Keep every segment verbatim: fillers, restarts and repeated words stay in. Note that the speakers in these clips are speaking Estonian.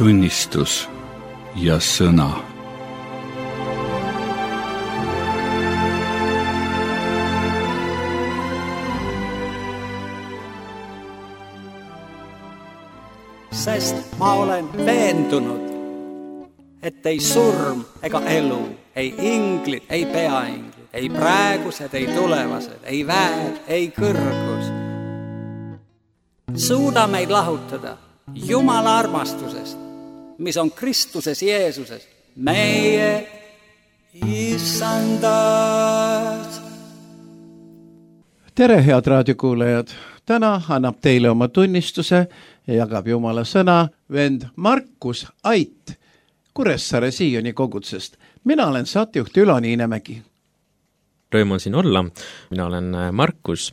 tunnistus ja sõna. Sest ma olen veendunud, et ei surm ega elu, ei inglid, ei peainglid, ei praegused, ei tulevased, ei väed, ei kõrgus suuda meid lahutada Jumala armastusest, mis on Kristuses Jeesuses, meie issandas. Tere, head raadiokuulajad! Täna annab teile oma tunnistuse ja jagab Jumala sõna vend Markus Ait Kuressaare Sioni kogutsest. Mina olen saatjuht Ülo Niinemägi. Rõõm on siin olla. Mina olen Markus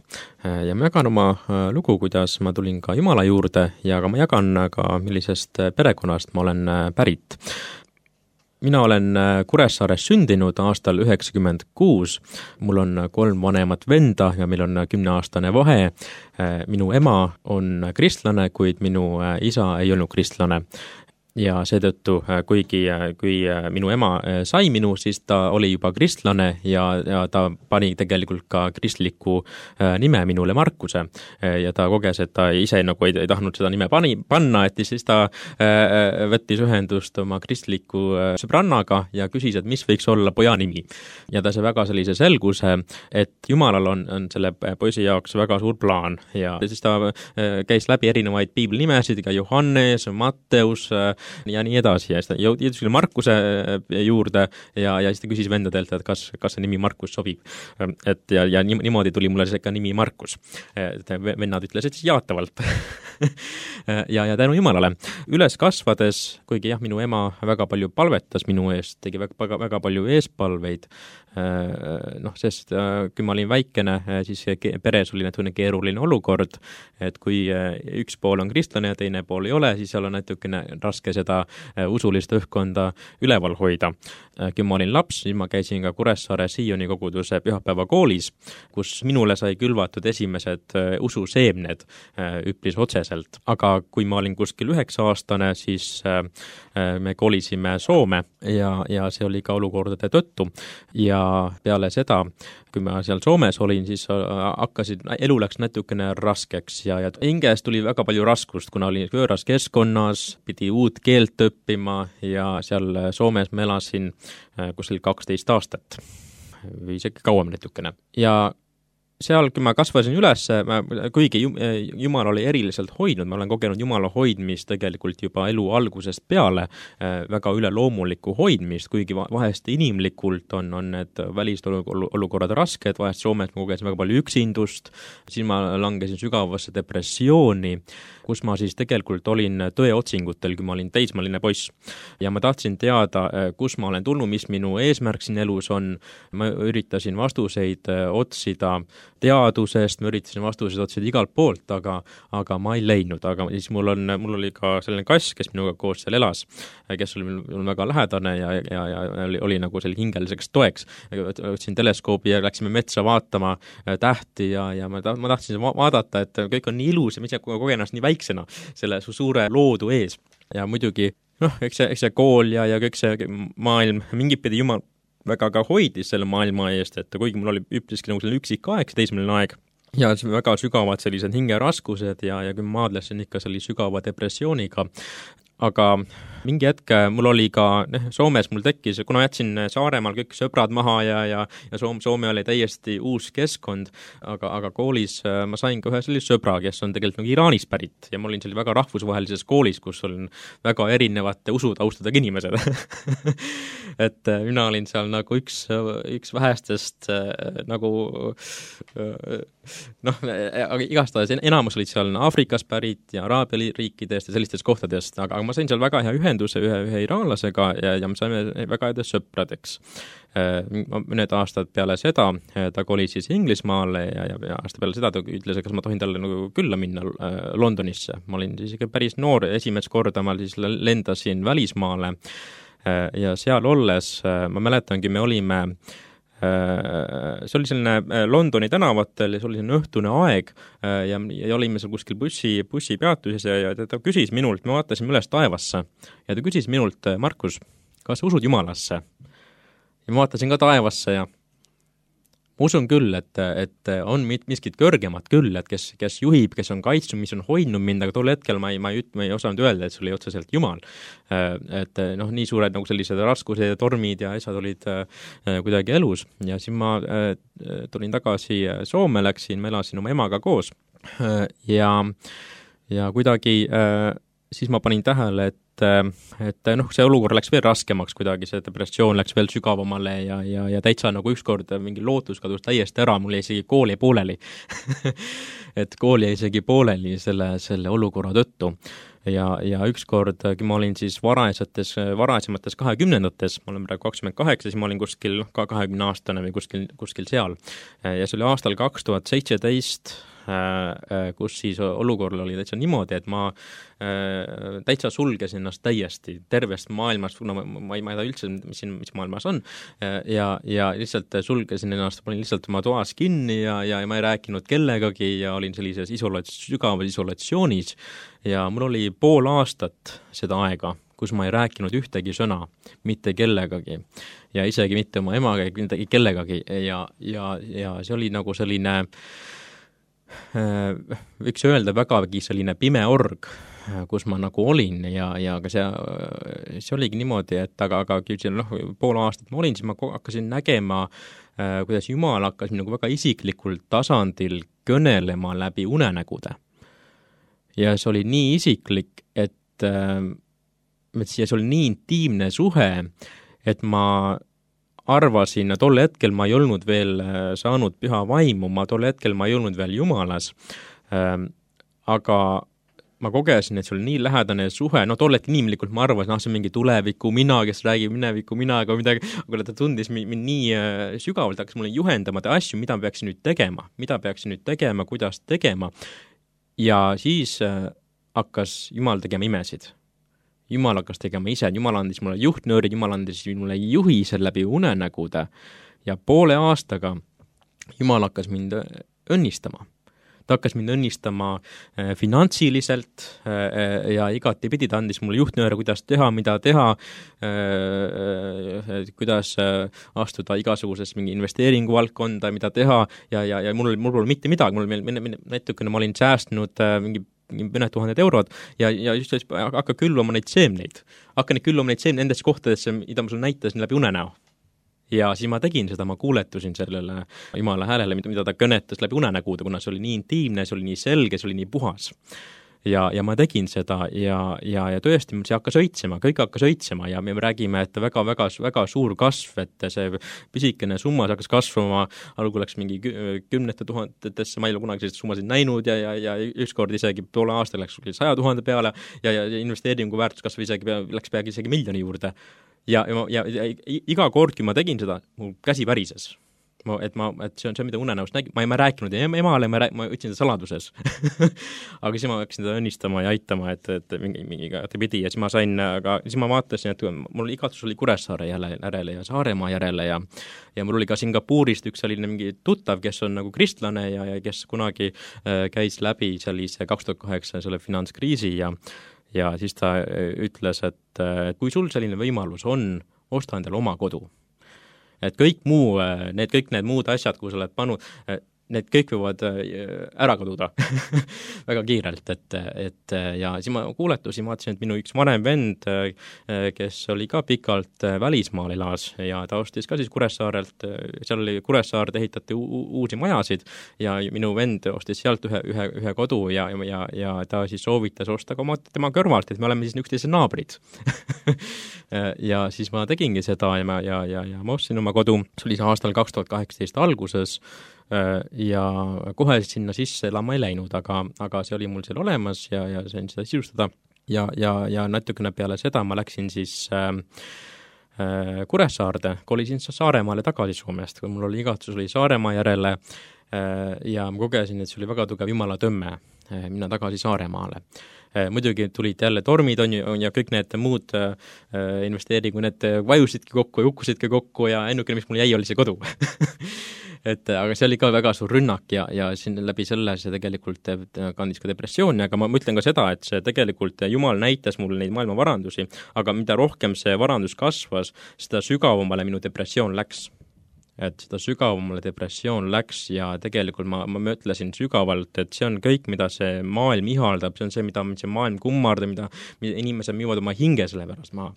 ja ma jagan oma lugu, kuidas ma tulin ka Jumala juurde ja ka ma jagan ka millisest perekonnast ma olen pärit. Mina olen Kuressaares sündinud aastal üheksakümmend kuus. Mul on kolm vanemat venda ja meil on kümneaastane vahe. Minu ema on kristlane, kuid minu isa ei olnud kristlane. Ja seetõttu, kuigi kui minu ema sai minu, siis ta oli juba kristlane ja, ja ta pani tegelikult ka kristliku nime minule Markuse. Ja ta koges, et ta ise nagu ei, ei tahtnud seda nime pani, panna, et siis ta võttis ühendust oma kristliku sõbrannaga ja küsis, et mis võiks olla poja nimi. Ja ta sai väga sellise selguse, et Jumalal on, on selle poisi jaoks väga suur plaan. Ja siis ta käis läbi erinevaid piiblinimesid, ka Johannes, Matteus ja nii edasi. Ja siis ta jõudis Markuse juurde ja, ja siis ta küsis vendadelt, et kas, kas see nimi Markus sobib. Et ja, ja niimoodi tuli mulle see ka nimi Markus. Vennad ütlesid siis jaatavalt. ja, ja tänu Jumalale. Üles kasvades, kuigi jah, minu ema väga palju palvetas minu eest, tegi väga, väga palju eespalveid. Noh, sest kui ma olin väikene, siis peres oli natuke keeruline olukord, et kui üks pool on kristlane ja teine pool ei ole, siis seal on natukene raske seda usulist õhkkonda üleval hoida. Kui ma olin laps, siis ma käisin ka Kuressaare Sioni koguduse pühapäevakoolis, kus minule sai külvatud esimesed ususeemned üpris otseselt. Aga kui ma olin kuskil üheksa aastane, siis me kolisime Soome ja, ja see oli ka olukordade tõttu. Ja peale seda, kui ma seal Soomes olin, siis hakkasid, elu läks natukene raskeks ja, ja hinges tuli väga palju raskust, kuna oli võõras keskkonnas, pidi uut keelt õppima ja seal Soomes ma elasin kuskil kaksteist aastat või isegi kauem natukene. Ja seal, kui ma kasvasin üles, kuigi Jumal oli eriliselt hoidnud, ma olen kogenud Jumala hoidmist tegelikult juba elu algusest peale, väga üleloomulikku hoidmist, kuigi vahest inimlikult on, on need välist olukorrad rasked, vahest Soomes ma kogesin väga palju üksindust, siis ma langesin sügavasse depressiooni, kus ma siis tegelikult olin tõeotsingutel, kui ma olin teismaline poiss. Ja ma tahtsin teada, kus ma olen tulnud, mis minu eesmärk siin elus on. Ma üritasin vastuseid otsida teadusest, ma üritasin vastuseid otsida igalt poolt, aga, aga ma ei leidnud. Aga siis mul, on, mul oli ka selline kass, kes minuga koos seal elas, kes oli mul väga lähedane ja, ja, ja oli, oli nagu selle hingeliseks toeks. Võtsin teleskoobi ja läksime metsa vaatama tähti ja, ja ma, ma tahtsin vaadata, et kõik on nii ilus ja mis kogenast nii väiksena selle suure loodu ees. Ja muidugi, noh, eks see, eks see kool ja, ja kõik see maailm, mingid pidi Jumal väga ka hoidis selle maailma eest, et kuigi mul oli üpriski nagu selline üksik aeg, teismeline aeg, ja väga sügavad sellised hingeraskused ja, ja kui ma maadlesin ikka selline sügava depressiooniga, aga mingi hetk mul oli ka, Soomes mul tekkis, kuna jätsin Saaremaal kõik sõbrad maha ja, ja, ja Soome, Soome oli täiesti uus keskkond, aga, aga koolis ma sain ka ühe sellise sõbra, kes on tegelikult nagu Iraanist pärit ja ma olin seal väga rahvusvahelises koolis, kus olin väga erinevate usutaustadega inimesed. Et mina olin seal nagu üks, üks vähestest nagu noh, aga igastahes enamus olid seal Aafrikas pärit ja Araabia riikidest ja sellistest kohtadest, aga ma sain seal väga hea ühenduse ühe, ühe iraanlasega ja, ja me saime väga head sõpradeks. Mõned aastad peale seda ta kolis siis Inglismaale ja, ja, ja aasta peale seda ta ütles, kas ma tohin talle nagu külla minna Londonisse. Ma olin siis ikka päris noor, esimest korda ma siis lendasin välismaale ja seal olles, ma mäletangi, me olime See oli selline Londoni tänavatel ja see oli selline õhtune aeg ja, ja olime seal kuskil bussi, bussi peatuses ja, ja ta küsis minult, me vaatasime üles taevasse ja ta küsis minult, Markus, kas sa usud Jumalasse? Ja ma vaatasin ka taevasse ja ma usun küll, et, et on miskit kõrgemat küll, et kes, kes juhib, kes on kaitsnud, mis on hoidnud mind, aga tol hetkel ma ei, ma ei, ma ei osanud öelda, et sul oli otseselt Jumal. Et noh, nii suured nagu sellised raskused ja tormid ja asjad olid kuidagi elus ja siis ma tulin tagasi Soome, läksin, ma elasin oma emaga koos ja, ja kuidagi siis ma panin tähele, et et noh, see olukord läks veel raskemaks kuidagi, see depressioon läks veel sügavamale ja, ja, ja täitsa nagu ükskord mingi lootus kadus täiesti ära, mul jäi isegi kool jäi pooleli et kool jäi isegi pooleli selle, selle olukorra tõttu ja, ja ükskord ma olin siis varajates, varasemates kahekümnendates, ma olen praegu kakskümmend kaheksa, siis ma olin kuskil ka kahekümne aastane või kuskil, kuskil seal ja see oli aastal kaks tuhat seitseteist kus siis olukorral oli täitsa niimoodi, et ma täitsa sulgesin ennast täiesti tervest maailmast, kuna ma, ma ei ma ei tea üldse, mis siin mis maailmas on ja, ja lihtsalt sulgesin ennast, panin lihtsalt oma toas kinni ja, ja, ja ma ei rääkinud kellegagi ja olin sellises isolats-, sügavas isolatsioonis ja mul oli pool aastat seda aega, kus ma ei rääkinud ühtegi sõna, mitte kellegagi ja isegi mitte oma emaga, mitte kellegagi ja, ja, ja see oli nagu selline võiks öelda vägagi selline pime org, kus ma nagu olin ja, ja ka see, see oligi niimoodi, et aga, aga noh, pool aastat ma olin, siis ma hakkasin nägema, kuidas Jumal hakkas nagu väga isiklikul tasandil kõnelema läbi unenägude. Ja see oli nii isiklik, et, et see oli nii intiimne suhe, et ma arvasin, tol hetkel ma ei olnud veel saanud püha vaimu, ma tol hetkel ma ei olnud veel Jumalas, aga ma kogesin, et see oli nii lähedane suhe, no tol hetkel inimlikult ma arvasin, ah, see on mingi tuleviku mina, kes räägib mineviku mina, aga midagi, aga ta tundis mind nii sügavalt, hakkas mulle juhendama ta asju, mida peaksin nüüd tegema, mida peaksin nüüd tegema, kuidas tegema ja siis hakkas Jumal tegema imesid. Jumal hakkas tegema ise, Jumal andis mulle juhtnöörid, Jumal andis mulle juhised läbi unenägude ja poole aastaga Jumal hakkas mind õnnistama. Ta hakkas mind õnnistama finantsiliselt ja igati pidi, ta andis mulle juhtnööre, kuidas teha, mida teha, kuidas astuda igasuguses mingi investeeringu valdkonda, mida teha ja, ja, ja mul, mul pole mitte midagi, mul näitukene ma olin säästnud mingi mõned tuhanded eurod ja, ja just hakka külvama neid seemneid. Hakka neid külvama neid seemneid nendesse kohtadesse, mida ma sulle näitasin läbi unenäo. Ja siis ma tegin seda, ma kuuletusin sellele Jumala häälele, mida ta kõnetas läbi unenägude, kuna see oli nii intiimne, see oli nii selge, see oli nii puhas. Ja, ja ma tegin seda ja, ja, ja tõesti see hakkas õitsema, kõik hakkas õitsema ja me räägime, et väga, väga, väga suur kasv, et see pisikene summa hakkas kasvama, algul läks mingi kümnete tuhandetesse, ma ei ole kunagi sellised summasid näinud ja, ja, ja ükskord isegi poole aasta läks saja tuhande peale ja, ja investeeringu väärtus kasv isegi, läks peagi isegi miljoni juurde. Ja, ja, ja iga kord, kui ma tegin seda, mul käsi värises. Ma, et, ma, et see on see, mida unenäost nägin. Ma ei ma rääkinud emale, ma, rääk, ma ütlesin seda saladuses. aga siis ma hakkasin teda õnnistama ja aitama, et, et mingi, mingiga pidi ja siis ma sain, aga siis ma vaatasin, et mul igatsus oli Kuressaare järele ja Saaremaa järele ja, ja mul oli ka Singapuurist üks selline mingi tuttav, kes on nagu kristlane ja, ja kes kunagi äh, käis läbi sellise kaks tuhat kaheksa selle finantskriisi ja ja siis ta ütles, et kui sul selline võimalus on, osta endale oma kodu. Et kõik muu, need kõik need muud asjad, kui sa oled pannud, need kõik võivad ära kaduda väga kiirelt, et, et ja siis ma kuuletusin, vaatasin, et minu üks vanem vend, kes oli ka pikalt välismaal elas ja ta ostis ka siis Kuressaarelt, seal oli Kuressaarde ehitati u- uusi majasid ja minu vend ostis sealt ühe, ühe, ühe kodu ja, ja, ja ta siis soovitas osta ka oma, tema kõrvalt, et me oleme siis üksteise naabrid ja siis ma tegingi seda ja, ja, ja, ja ma ostsin oma kodu, see oli see aastal kaks tuhat kaheksateist alguses ja kohe sinna sisse elama ei läinud, aga, aga see oli mul seal olemas ja, ja sain seda sisustada ja, ja, ja natukene peale seda ma läksin siis äh, äh, Kuressaarde, kolisin Saaremaale tagasi Soomest, kui mul oli igatsus oli Saaremaa järele äh, ja ma kogesin, et see oli väga tugev Jumala tõmme, minna tagasi Saaremaale. Muidugi tulid jälle tormid on ju, ja kõik need muud investeeringu, need vajusidki kokku ja hukkusidki kokku ja ennukene, mis mul jäi, oli see kodu. et aga see oli ka väga suur rünnak ja, ja siin läbi selle see tegelikult kandis ka depressiooni, aga ma mõtlen ka seda, et see tegelikult Jumal näitas mulle neid maailma varandusi, aga mida rohkem see varandus kasvas, seda sügavamale minu depressioon läks. Et seda sügavamale depressioon läks ja tegelikult ma, ma mõtlesin sügavalt, et see on kõik, mida see maailm ihaldab, see on see, mida see maailm kummardab, mida, mida inimesed müüvad oma hinge selle pärast maha.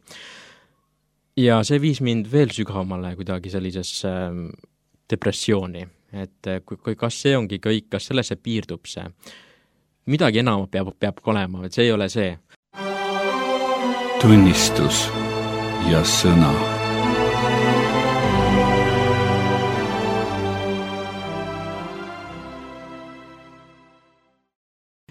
Ja see viis mind veel sügavamale kuidagi sellisesse depressiooni, et kui, kui kas see ongi kõik, kas sellesse piirdub see. Midagi enam peab, peab olema, et see ei ole see. Tunnistus ja sõna.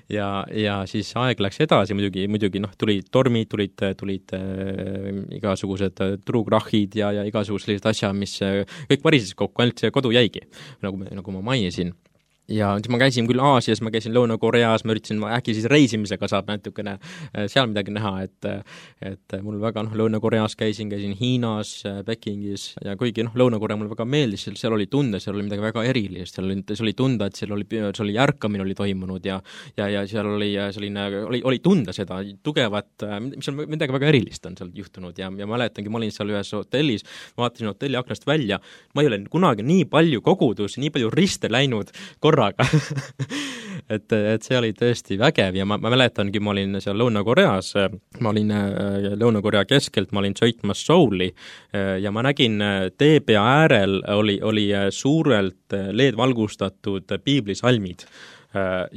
Ja, ja siis aeg läks edasi, muidugi, muidugi noh, tulid tormid, tulid, tulid äh, igasugused turukrahhid ja, ja igasugused sellised asjad, mis äh, kõik varises kokku, ainult see kodu jäigi, nagu, nagu ma mainisin. Ja siis ma käisin küll Aasias, ma käisin Lõuna-Koreas, ma üritasin, äkki siis reisimisega saab natukene seal midagi näha, et, et mul väga, noh, Lõuna-Koreas käisin, käisin Hiinas, Pekingis ja kuigi, noh, Lõuna-Korea mulle väga meeldis, seal, seal oli tunda, seal oli midagi väga erilist, seal oli, seal oli tunda, et seal oli, seal oli ärkamine oli toimunud ja, ja, ja seal oli selline, oli, oli tunda seda tugevat, mis on midagi väga erilist on seal juhtunud ja, ja mäletangi, ma olin seal ühes hotellis, vaatasin hotelli aknast välja, ma ei ole kunagi nii palju kogudus, nii palju riste läinud korra et, et see oli tõesti vägev ja ma, ma mäletangi, ma olin seal Lõuna-Koreas, ma olin Lõuna-Korea keskelt, ma olin sõitmas Souli ja ma nägin teepea äärel oli, oli suurelt L E D-valgustatud piiblisalmid.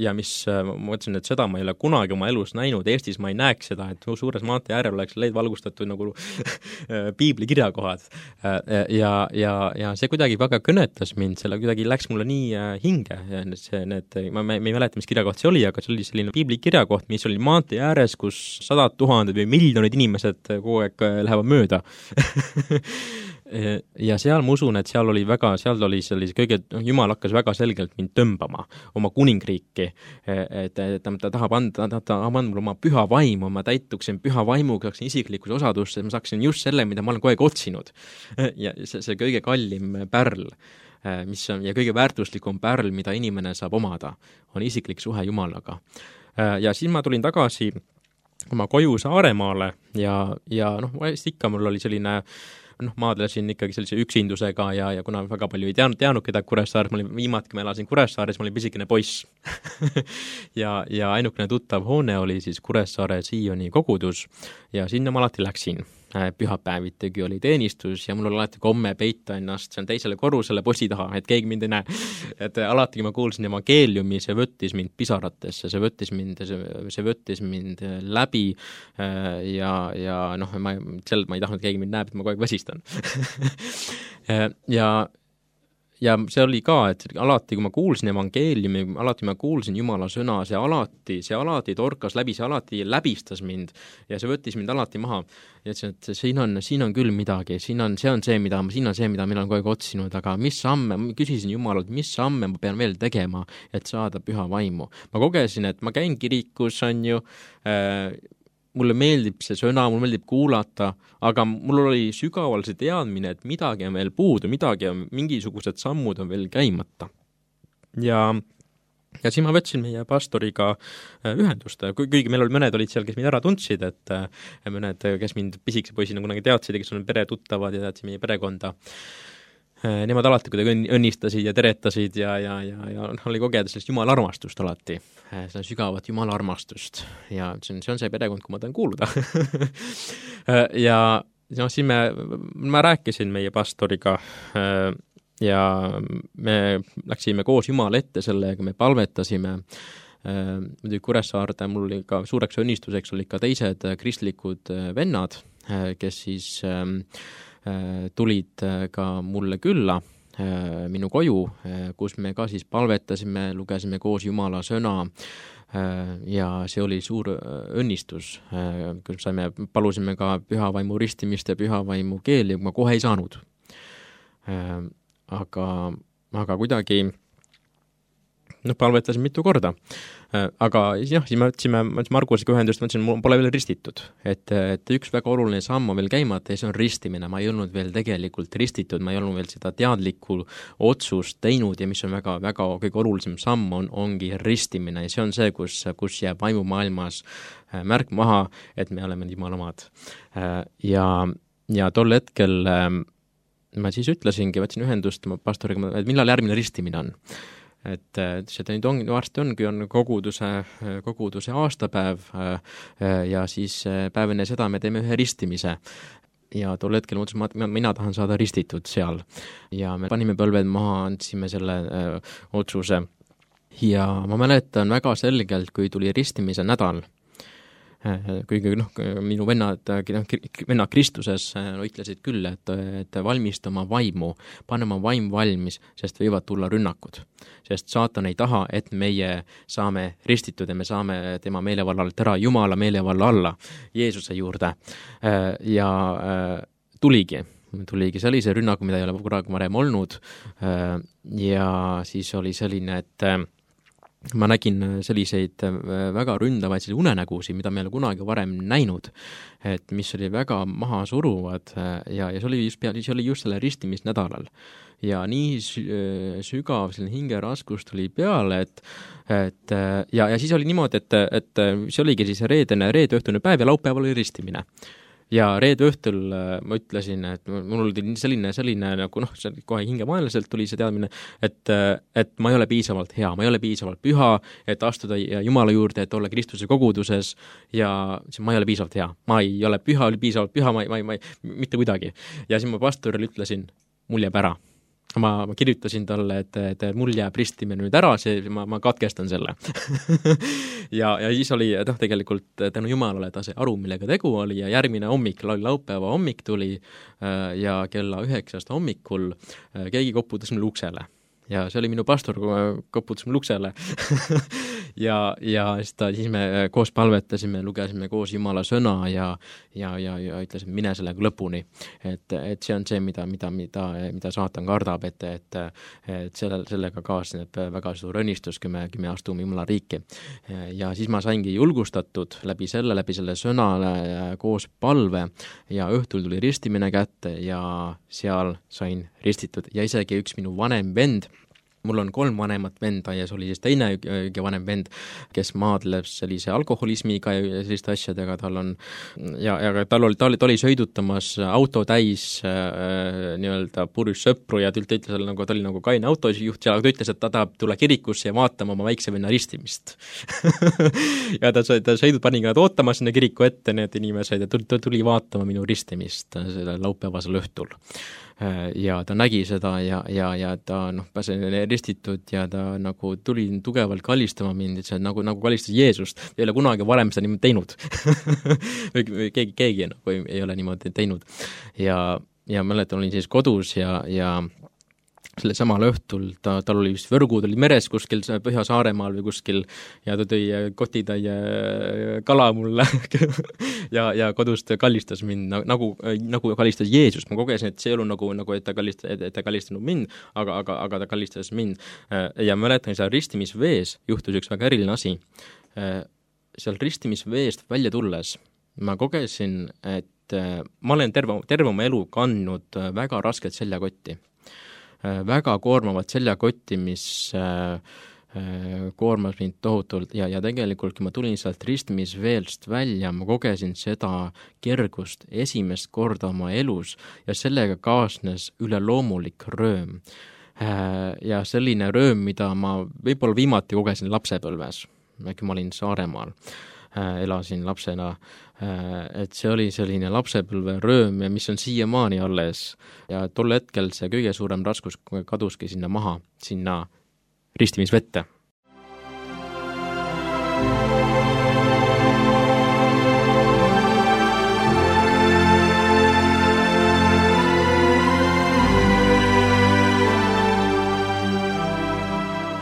Ja mis, ma mõtlesin, et seda ma ei ole kunagi oma elus näinud, Eestis ma ei näeks seda, et suures maantee äärel oleks leid valgustatud nagu piibli kirjakohad. Ja, ja, ja see kuidagi väga kõnetas mind, selle kuidagi läks mulle nii hinge. See, need, ma, ma ei mäleta, mis kirjakoht see oli, aga see oli selline piibli kirjakoht, mis oli maantee ääres, kus sadad tuhanded või miljonid inimesed kogu aeg lähevad mööda. Ja seal ma usun, et seal oli väga, seal oli sellise kõige, Jumal hakkas väga selgelt mind tõmbama oma kuningriiki, et, et ta tahab anda, ta tahab anda mulle oma püha vaimu, ma täituksin püha vaimuga, saaksin isiklikus osadusse, ma saaksin just selle, mida ma olen kogu aeg otsinud. Ja see, see kõige kallim pärl, mis on, ja kõige väärtuslikum pärl, mida inimene saab omada, on isiklik suhe Jumalaga. Ja siis ma tulin tagasi oma koju Saaremaale ja, ja noh, ikka mul oli selline noh, maadlesin ikkagi sellise üksindusega ja, ja kuna väga palju ei teanud, teanud keda Kuressaares, ma olin viimati, kui ma elasin Kuressaares, ma olin pisikene poiss. ja, ja ainukene tuttav hoone oli siis Kuressaare Sioni kogudus ja sinna ma alati läksin. Pühapäevitegi oli teenistus ja mul oli alati komme peita ennast seal teisele korrusele bossi taha, et keegi mind ei näe. Et alati, kui ma kuulsin evangeeliumi, see võttis mind pisaratesse, see võttis mind, see, see võttis mind läbi ja, ja noh, ma, sel, ma ei tahtnud, keegi mind näeb, et ma kogu aeg väsistan. ja Ja see oli ka, et alati, kui ma kuulsin evangeeliumi, alati ma kuulsin Jumala sõna, see alati, see alati torkas läbi, see alati läbistas mind ja see võttis mind alati maha. Ja ütlesin, et siin on, siin on küll midagi, siin on, see on see, mida, siin on see, mida mina olen kogu aeg otsinud, aga mis samme, ma küsisin Jumalalt, mis samme ma pean veel tegema, et saada püha vaimu. Ma kogesin, et ma käin kirikus, on ju, äh, mulle meeldib see sõna, mulle meeldib kuulata, aga mul oli sügaval see teadmine, et midagi on veel puudu, midagi on, mingisugused sammud on veel käimata. Ja, ja siis ma võtsin meie pastoriga ühendust, kuigi meil oli mõned olid seal, kes mind ära tundsid, et mõned, kes mind pisikese poisina kunagi teadsid, kes on pere tuttavad ja teadsid meie perekonda. Nemad alati kuidagi õnnistasid ja teretasid ja, ja, ja, ja oli kogeda sellist Jumala armastust alati, seda sügavat Jumala armastust ja see on, see on see perekond, kui ma tahan kuuluda. ja no, siis me, ma rääkisin meie pastoriga ja me läksime koos Jumala ette sellega, me palvetasime. Muidugi Kuressaarde mul oli ka suureks õnnistuseks oli ka teised kristlikud vennad, kes siis tulid ka mulle külla minu koju, kus me ka siis palvetasime, lugesime koos Jumala sõna ja see oli suur õnnistus, kus saime, palusime ka pühavaimu ristimist ja pühavaimu keeli, ma kohe ei saanud. Aga, aga kuidagi noh, palvetasin mitu korda. Aga jah, siis me võtsime Markusega ühendust, mõtlesin, mul pole veel ristitud. Et, et üks väga oluline samm on veel käimata ja see on ristimine. Ma ei olnud veel tegelikult ristitud, ma ei olnud veel seda teadlikku otsust teinud ja mis on väga, väga kõige olulisem samm on, ongi ristimine. Ja see on see, kus, kus jääb vaimumaailmas märk maha, et me oleme Jumala omad. Ja, ja tol hetkel ma siis ütlesingi, võtsin ühendust pastoriga, et millal järgmine ristimine on. Et seda nüüd on, varsti ongi, on koguduse, koguduse aastapäev ja siis päev enne seda me teeme ühe ristimise. Ja tol hetkel mõtlesin, et mina tahan saada ristitud seal. Ja me panime põlved maha, andsime selle öö, otsuse. Ja ma mäletan väga selgelt, kui tuli ristimise nädal, kuigi noh, minu vennad, vennad Kristuses no, ütlesid küll, et, et valmista oma vaimu, pane oma vaim valmis, sest võivad tulla rünnakud. Sest saatan ei taha, et meie saame ristitud ja me saame tema meelevallalt ära Jumala meelevalla alla, Jeesuse juurde. Ja tuligi. tuligi sellise rünnaku, mida ei ole kunagi varem olnud ja siis oli selline, et ma nägin selliseid väga ründavaid unenägusi, mida me ei ole kunagi varem näinud, et mis oli väga maha suruvad ja, ja see oli just, see oli just selle ristimisnädalal. Ja nii sügav selline hingeraskus tuli peale, et, et ja, ja siis oli niimoodi, et, et see oligi siis reedene, reedõhtune päev ja laupäeval oli ristimine. Ja reede õhtul ma ütlesin, et mul oli selline, selline nagu noh, kohe hingemaaniliselt tuli see teadmine, et, et ma ei ole piisavalt hea, ma ei ole piisavalt püha, et astuda Jumala juurde, et olla Kristuse koguduses ja ma ei ole piisavalt hea. Ma ei ole püha, oli piisavalt püha, ma ei, ma ei, ma ei, mitte kuidagi. Ja siis ma pastorile ütlesin, mul jääb ära. Ma, ma kirjutasin talle, et, et mul jääb ristimine nüüd ära, see, ma, ma katkestan selle. ja, ja siis oli noh, tegelikult tänu Jumalale ta see aru, millega tegu oli ja järgmine hommik, laupäeva hommik tuli ja kella üheksast hommikul keegi koputas mul uksele. Ja see oli minu pastor, koputas mul uksele. ja, ja siis, ta, siis me koos palvetasime, lugesime koos Jumala sõna ja, ja, ja, ja ütlesime, mine sellega lõpuni. Et, et see on see, mida, mida, mida, mida saatan kardab, et, et, et selle, sellega kaasneb väga suur õnnistus, kui me, kui me astume Jumala riiki. Ja siis ma saingi julgustatud läbi selle, läbi selle sõnale koos palve ja õhtul tuli ristimine kätte ja seal sain ristitud ja isegi üks minu vanem vend, mul on kolm vanemat venda ja see oli siis teine vanem vend, kes maadleb sellise alkoholismiga ja selliste asjadega, tal on ja, ja tal oli, ta oli, ta oli sõidutamas auto täis äh, nii-öelda purjus sõpru ja ta ütles, nagu, ta oli nagu kaine autojuht ja ta ütles, et ta tahab tulla kirikusse ja vaatama oma väikse venna ristimist. ja ta, ta sõidut pani ka ootama sinna kiriku ette need inimesed ja tuli, ta tuli vaatama minu ristimist selle laupäevasel õhtul. Ja ta nägi seda ja, ja, ja ta noh, pääsen ristitud ja ta nagu tuli tugevalt kallistama mind, et see nagu, nagu kallistas Jeesust. Ei ole kunagi varem seda niimoodi teinud. või keegi, keegi nagu ei, ei ole niimoodi teinud. Ja, ja mäletan, olin siis kodus ja, ja selle samal õhtul, ta, tal oli vist võrgud, oli meres kuskil Põhja-Saaremaal või kuskil ja ta tõi kotitäie kala mulle ja, ja kodust kallistas mind nagu, nagu kallistas Jeesus. Ma kogesin, et see ei olnud nagu, nagu et ta kallistas, et ta kallistanud mind, aga, aga, aga ta kallistas mind. Ja mäletan, seal ristimisvees juhtus üks väga eriline asi. Seal ristimisveest välja tulles ma kogesin, et ma olen terve, terve oma elu kandnud väga rasket seljakotti. väga koormavat seljakotti, mis äh, koormas mind tohutult ja, ja tegelikult, kui ma tulin sealt ristimisveelst välja, ma kogesin seda kergust esimest korda oma elus ja sellega kaasnes üleloomulik rööm. Äh, ja selline rööm, mida ma võib-olla viimati kogesin lapsepõlves, kui ma olin Saaremaal. elasin lapsena, et see oli selline lapsepõlve rööm ja mis on siiamaani alles ja tol hetkel see kõige suurem raskus kaduski sinna maha, sinna ristimisvette.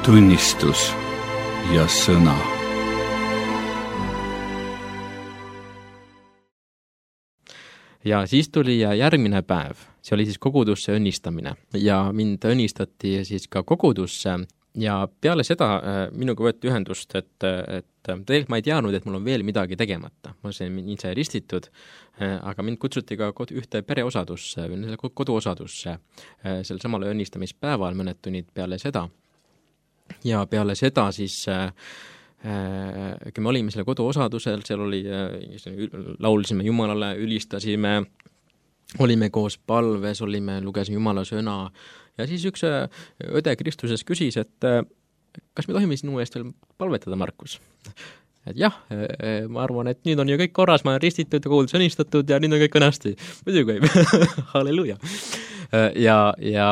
Tunnistus ja sõna. Ja siis tuli järgmine päev, see oli siis kogudusse õnnistamine ja mind õnnistati siis ka kogudusse ja peale seda minuga võeti ühendust, et, et tegelikult ma ei teadnud, et mul on veel midagi tegemata. Ma sain ise ristitud, aga mind kutsuti ka kod, ühte pereosadusse või koduosadusse sel samal õnnistamispäeval mõned tunnid peale seda. Ja peale seda siis kui me olime selle koduosadusel, seal oli, laulsime Jumalale, ülistasime, olime koos palves, olime, lugesime Jumala sõna ja siis üks õde Kristuses küsis, et kas me tohime sinu eest veel palvetada, Markus? Et jah, ma arvan, et nüüd on ju kõik korras, ma olen ristitud ja kuuldus õnnistatud ja nüüd on kõik õnnasti. Muidugi, halleluja. Ja, ja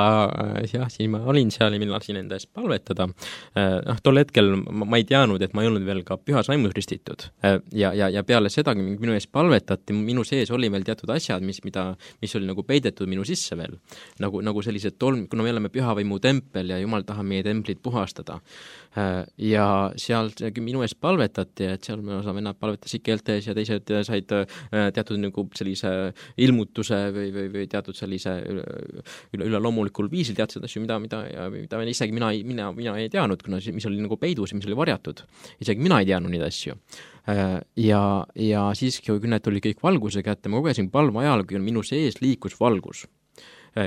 jah, siis ma olin seal ja mina lasin enda eest palvetada. Noh, tol hetkel ma, ma ei teadnud, et ma ei olnud veel ka pühas vaimus ristitud. Ja, ja, ja peale seda, kui minu eest palvetati, minu sees oli veel teatud asjad, mis, mida, mis oli nagu peidetud minu sisse veel. Nagu, nagu sellised tolm, kuna me oleme püha vaimu tempel ja Jumal tahab meie templit puhastada. Ja seal minu eest palvetati, et seal me osa vennad palvetasid keeltes ja teised said teatud nagu sellise ilmutuse või, või, või teatud sellise üle, üle loomulikul viisil teadsid asju, mida, mida, mida isegi mina, mina, mina ei teadnud, kuna mis oli nagu peidus ja mis oli varjatud. Isegi mina ei teadnud neid asju. Ja, ja siis, kui need tuli kõik valguse kätte, ma kogesin palve ajal, kui minu sees liikus valgus.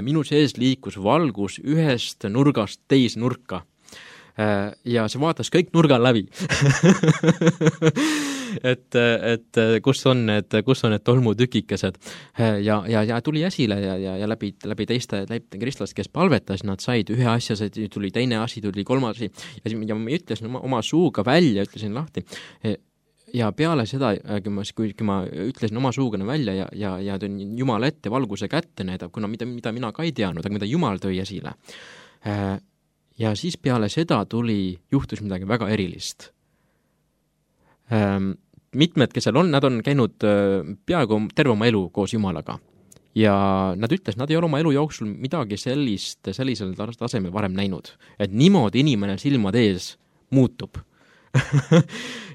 Minu sees liikus valgus ühest nurgast teise nurka. Ja see vaatas kõik nurgal läbi. et, et kus on need, kus on need tolmutükikesed ja, ja, ja tuli esile ja, ja, ja läbi, läbi teiste läbi kristlast, kes palvetas, nad said ühe asja, tuli teine asi, tuli kolmas asi ja, ja ma ütlesin oma, oma suuga välja, ütlesin lahti ja peale seda, kui ma, kui, kui ma ütlesin oma suugana välja ja, ja, ja tõin Jumal ette valguse kätte näidab, kuna mida, mida mina ka ei teadnud, aga mida Jumal tõi esile. Ja siis peale seda tuli, juhtus midagi väga erilist. Ähm, mitmed, kes seal on, nad on käinud peaaegu terve oma elu koos Jumalaga. Ja nad ütles, nad ei ole oma elu jooksul midagi sellist, sellisel tasemel varem näinud. Et niimoodi inimene silmad ees muutub.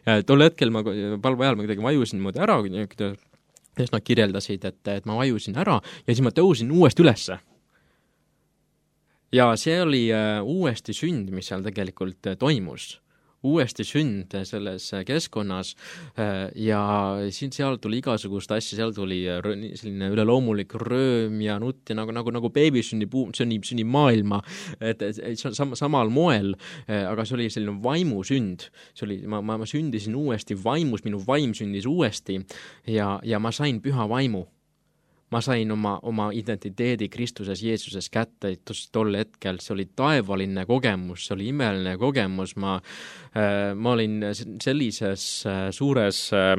Ja tol hetkel ma palve ajal ma kuidagi vajusin moodi ära, kes nad kirjeldasid, et, et ma vajusin ära ja siis ma tõusin uuesti ülesse. Ja see oli uh, uuesti sünd, mis seal tegelikult uh, toimus. Uuesti sünd selles keskonnas uh, ja siin seal tuli igasugust asja, seal tuli uh, selline üleloomulik rööm ja nutt ja nagu, nagu, nagu beebi sünnib, sünnib, sünnib maailma, et, et, et see on sam, samal moel, uh, aga see oli selline vaimu sünd. See oli, ma, ma, ma sündisin uuesti vaimus, minu vaim sündis uuesti ja, ja ma sain püha vaimu. Ma sain oma, oma identiteedi Kristuses, Jeesuses kätte, tol hetkel, see oli taevaline kogemus, see oli imeline kogemus, ma, äh, ma olin sellises äh, suures, äh,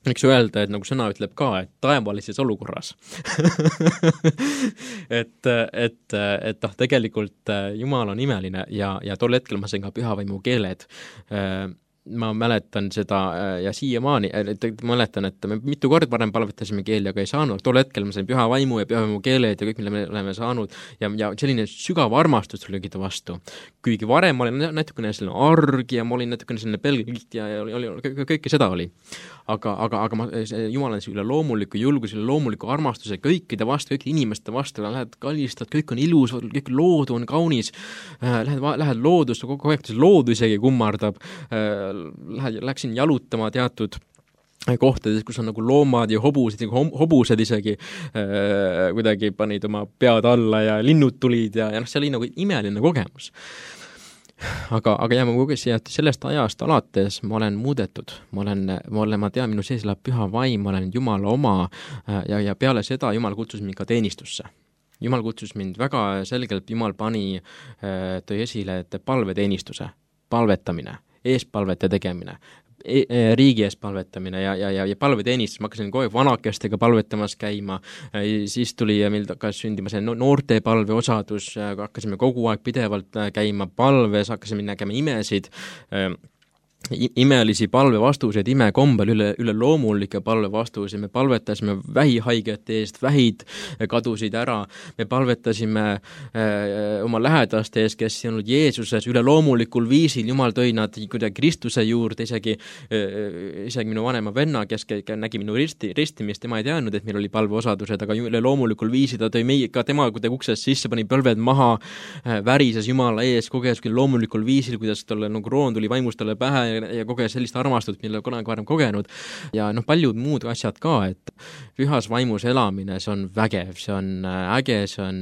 miks öelda, et nagu sõna ütleb ka, et taevalises olukorras. et, et, et noh, tegelikult Jumal on imeline ja, ja tol hetkel ma sain ka pühavaimu keeled. Äh, ma mäletan seda ja siiamaani, mäletan, et me mitu kord varem palvetasime keeli, aga ei saanud. Tol hetkel ma sain püha vaimu ja püha vaimu keeled ja kõik, mille me oleme saanud ja, ja selline sügav armastus tuli kõigile vastu. Kuigi varem ma olin natukene selline arg ja ma olin natukene selline pelgilt ja, ja oli, oli, kõike seda oli. Aga, aga, aga ma, Jumal on üle loomuliku julgus, üle loomuliku armastuse kõikide vastu, kõikide inimeste vastu, lähed kallistad, kõik on ilus, kõik loodu on kaunis, lähed, lähed loodust, kogu aeg loodu isegi kummardab, lähed, läksin jalutama teatud kohtades, kus on nagu loomad ja hobused, hobused isegi äh, kuidagi panid oma pead alla ja linnud tulid ja, ja noh, see oli nagu imeline kogemus. Aga, aga jah, ma kogesin, et sellest ajast alates ma olen muudetud, ma olen, ma olen, ma tean, minu sees elab püha vaim, ma olen Jumala oma ja, ja peale seda Jumal kutsus mind ka teenistusse. Jumal kutsus mind väga selgelt, Jumal pani, tõi esile, et palveteenistuse, palvetamine, eespalvete tegemine, e riigi ees palvetamine ja, ja, ja, ja palveteenistus, ma hakkasin kogu aeg vanakestega palvetamas käima, siis tuli meil hakkas sündima see noorte palve osadus, hakkasime kogu aeg pidevalt käima palves, hakkasime nägema imesid imelisi palvevastuseid, imekombel üle, üle loomulike palvevastuseid, me palvetasime vähihaigete eest, vähid kadusid ära, me palvetasime äh, oma lähedaste eest, kes on olnud Jeesuses üle loomulikul viisil, Jumal tõi nad kuidagi Kristuse juurde, isegi, äh, isegi minu vanema venna, kes nägi minu risti, ristimist, tema ei teadnud, et meil oli palveosadused, aga üle loomulikul viisil ta tõi meie, ka tema kuidagi uksest sisse, pani põlved maha, äh, värises Jumala ees, kogedes küll loomulikul viisil, kuidas talle nagu kroon tuli vaimust talle pähe ja kogedes sellist armastust, mille kunagi varem kogenud ja noh, paljud muud asjad ka, et pühas vaimus elamine, see on vägev, see on äge, see on,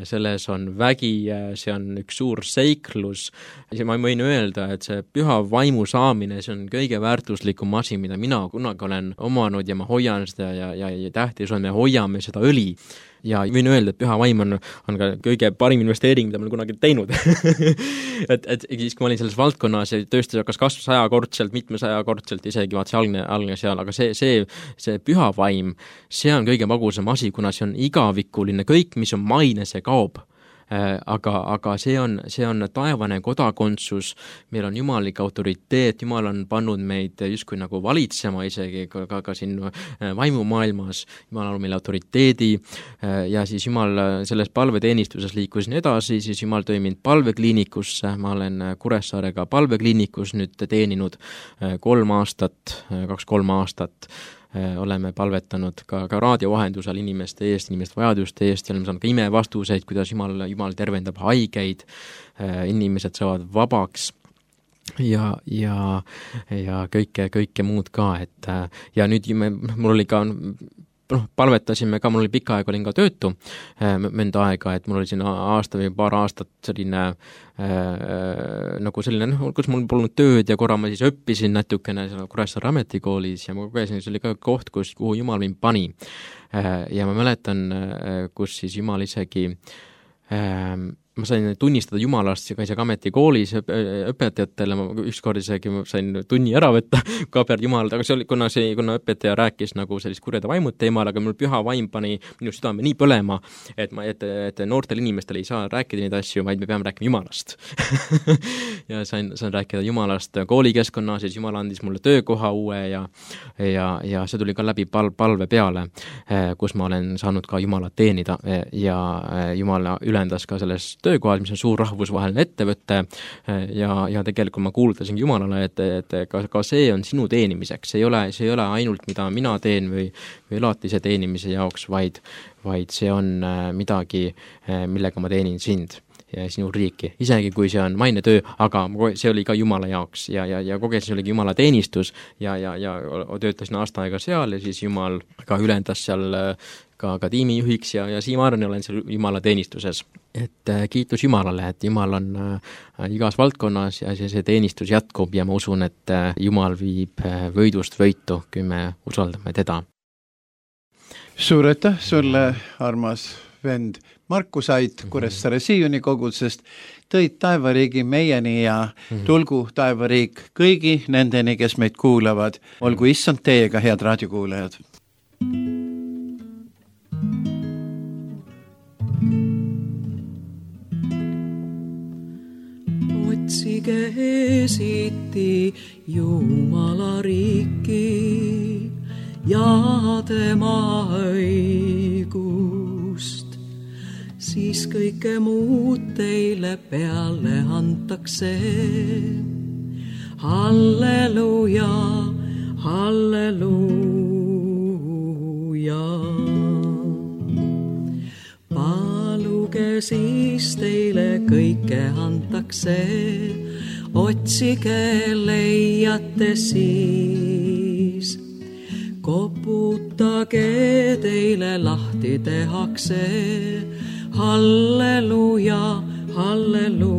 selles on vägi, see on üks suur seiklus ja ma võin öelda, et see püha vaimu saamine, see on kõige väärtuslikum asi, mida mina kunagi olen omanud ja ma hoian seda ja, ja, ja tähtis on, me hoiame seda õli ja võin öelda, et püha vaim on, on ka kõige parim investeering, mida ma olen kunagi teinud et, et siis, kui ma olin selles valdkonnas ja tööstus hakkas kasvas sajakordselt, mitmesajakordselt, isegi vaat see algne, algne seal, aga see, see, see püha vaim, see on kõige magusam asi, kuna see on igavikuline, kõik, mis on maine, see kaob. Aga, aga see on, see on taevane kodakondsus, meil on jumalik autoriteet, Jumal on pannud meid justkui nagu valitsema isegi ka, ka, ka siin vaimumaailmas, Jumal on meil autoriteedi ja siis Jumal selles palveteenistuses liikusin edasi, siis Jumal tõi mind palvekliinikusse, ma olen Kuressaarega palvekliinikus nüüd teeninud kolm aastat, kaks-kolm aastat, oleme palvetanud ka, ka raadiovahendusel inimeste eest, inimeste vajaduste eest ja oleme saanud ka imevastuseid, kuidas Jumal, Jumal tervendab haigeid, inimesed saavad vabaks ja, ja, ja kõike, kõike muud ka, et ja nüüd me, mul oli ka noh, palvetasime ka, mul oli pikka aega, olin ka töötu mõnda aega, et mul oli siin aasta või paar aastat selline äh, nagu selline, noh, kus mul polnud tööd ja korra ma siis õppisin natukene Kuressaare ametikoolis ja ma kogesin, see oli ka koht, kus, kuhu Jumal mind pani. Äh, ja ma mäletan, kus siis Jumal isegi äh, ma sain tunnistada Jumalast ja ka isegi ametikoolis õpetajatele, ma ükskord isegi sain tunni ära võtta kaber Jumalad, aga see oli, kuna, see, kuna õpetaja rääkis nagu sellist kurjade vaimud teemal, aga mul püha vaim pani minu südame nii põlema, et, ma, et, et noortel inimestel ei saa rääkida neid asju, vaid me peame rääkima Jumalast ja sain, sain rääkida Jumalast koolikeskkonnas, siis Jumal andis mulle töökoha uue ja, ja, ja see tuli ka läbi pal, palve peale, kus ma olen saanud ka Jumalat teenida ja Jumal ülendas ka selles töökohal, mis on suur rahvusvaheline ettevõte ja, ja tegelikult ma kuulutasin Jumalale, et, et ka, ka see on sinu teenimiseks, see ei ole, see ei ole ainult, mida mina teen või, või elatise teenimise jaoks, vaid, vaid see on midagi, millega ma teenin sind ja sinu riiki, isegi kui see on maine töö, aga see oli ka Jumala jaoks ja, ja, ja kogesin, see oligi Jumala teenistus ja, ja, ja töötasin aasta aega seal ja siis Jumal ka ülendas seal ka, ka tiimijuhiks ja, ja siiamaani olen seal Jumala teenistuses. Et äh, kiitus Jumalale, et Jumal on äh, igas valdkonnas ja see, see teenistus jätkub ja ma usun, et äh, Jumal viib äh, võidust võitu, kui me usaldame teda. Suur aitäh sulle, armas vend Markus Ait Kuressaare Sioni kogudusest, tõid taevariigi meieni ja tulgu taevariik kõigi nendeni, kes meid kuulavad. Olgu issand teiega, head raadiokuulajad. Otsige esiti Jumala riiki ja tema õigust, siis kõike muud teile peale antakse. Halleluja, halleluja. Paluge siis teile kõike antakse, otsige leiate siis. Koputage teile lahti tehakse, halleluja, halleluja.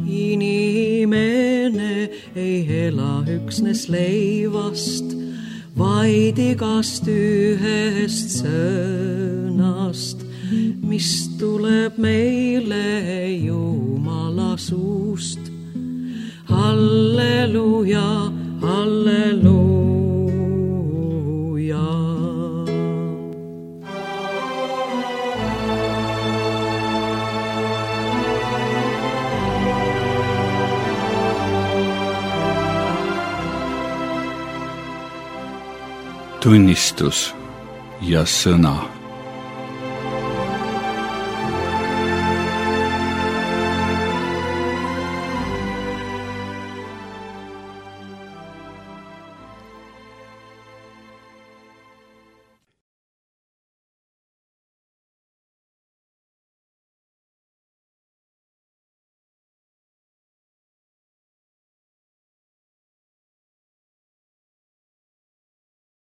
Inimene ei ela üksnes leivast, vaid igast ühest sõnast, mis tuleb meile Jumala suust. Halleluja, halleluja. tunnistus ja sõna.